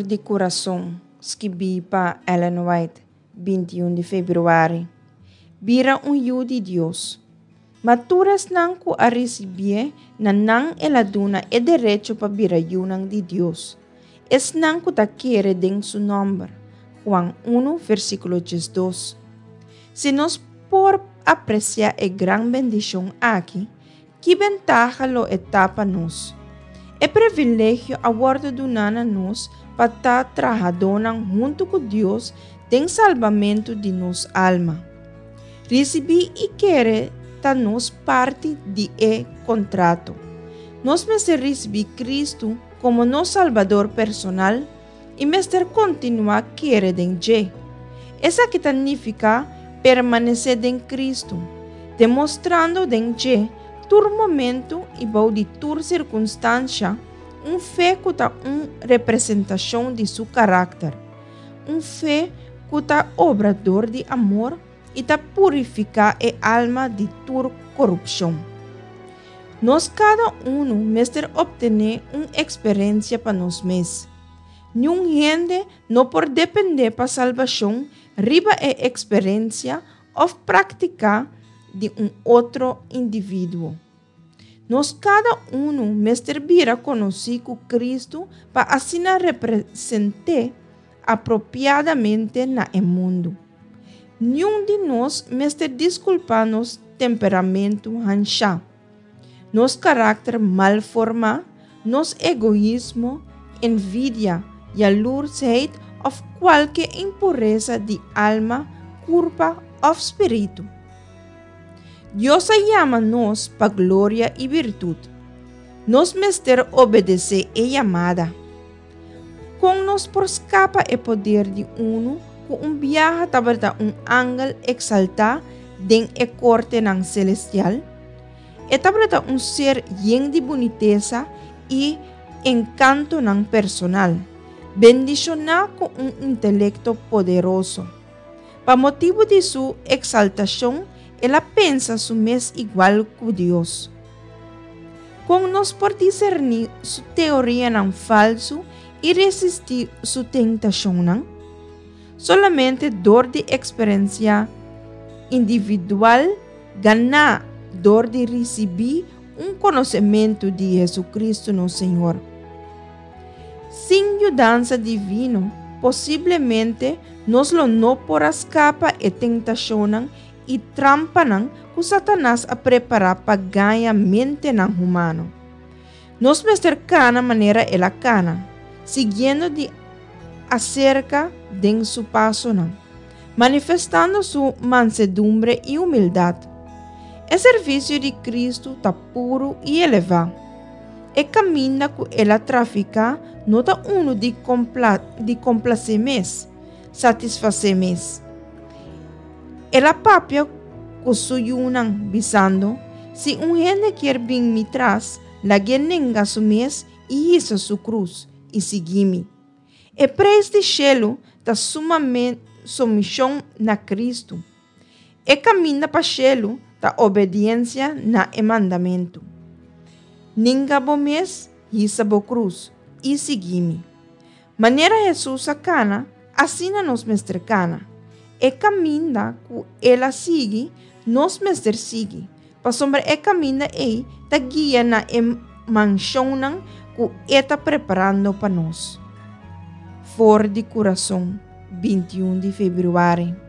di Kurason, skibí pa Ellen White, 21 di febrüari. Bira un yu di Dios. Ma tur esnan ku a risibié, na nan el a duna e derecho pa bira yunan di Dios, esnan ku ta kere den su nòmber. Juan unu, versíkulo 12. Si nos por apresiá e gran bendishon aki, Ki bentaha lo e ta pa nos? E privilegio a wòrdu duná na nos pa ta trahadónan huntu ku Dios den salbamentu di nos alma. Risibí i kere ta nos parti di e kontrato. Nos mester risibí Kristu komo nos Salbador personal i mester kontinuá kere den dje. Esaki ta nifiká permanesé den Kristu, demostrando den dje tur momentu i bou di tur sirkunstansha un fe ku ta un representashon di su karakter, un fe ku ta obra dor di amor i ta purifiká e alma di tur korupshon. Nos kada unu mester optené un eksperensia pa nos mes. Niun hende no por dependé pa salbashon riba e eksperensia òf praktiká di un otro individuo. Nos kada unu mester bira konosí ku Kristu pa asina represent'é apropiadamente na e mundu. Niun di nos mester diskulpá nos temperamentu hanshá, nos karakter mal formá, nos egoismo, envidia, yalursheid òf kualke impuresa di alma, kurpa òf spiritu. Dios a yama nos pa gloria i birtut. Nos mester obedesé e yamada. Kon nos por skapa e poder di unu ku un biaha tabata un angel eksaltá den e kortenan selestial? E tabata un ser yen di bunitesa i enkantonan personal, bendishoná ku un intelekto poderoso. Pa motibu di su eksaltashon el a pensa su mes igual ku Dios. Kon nos por diserní su teorianan falsu i resistí su tentashonnan? Solamente dor di eksperensia individual ganá dor di risibí un konosementu di Jesucristo nos Señor. Sin yudansa divino, posiblemente nos lo no por a skapa e tentashonnan i trampanan ku Satanas a prepará pa gaña mentenan humano. Nos mester kana manera el a kana, siguiendo di aserka den su pasonan, manifestando su mansedumbre i humildat. E servisio di Kristu ta puru i elevá. E kaminda ku el a trafiká no ta unu di di komplasé mes, satisfasé mes. El a papia ku su yunan, bisando, Si un hende kier bin mi tras, lag'é nenga su mes i hisa su krus, i sigui mi. E preis di shelu ta sumishon na Kristu. E kaminda pa shelu ta obediensia na e mandamentu, Ninga bo mes, hisa bo krus, i sigui mi. Manera Hesus a kana, asina nos mester kana. E kaminda ku el a sigui, nos mester sigui, pasobra e kaminda ei ta guia na e manshonnan ku e ta preparando pa nos. For di kurason, 21 di febrüari.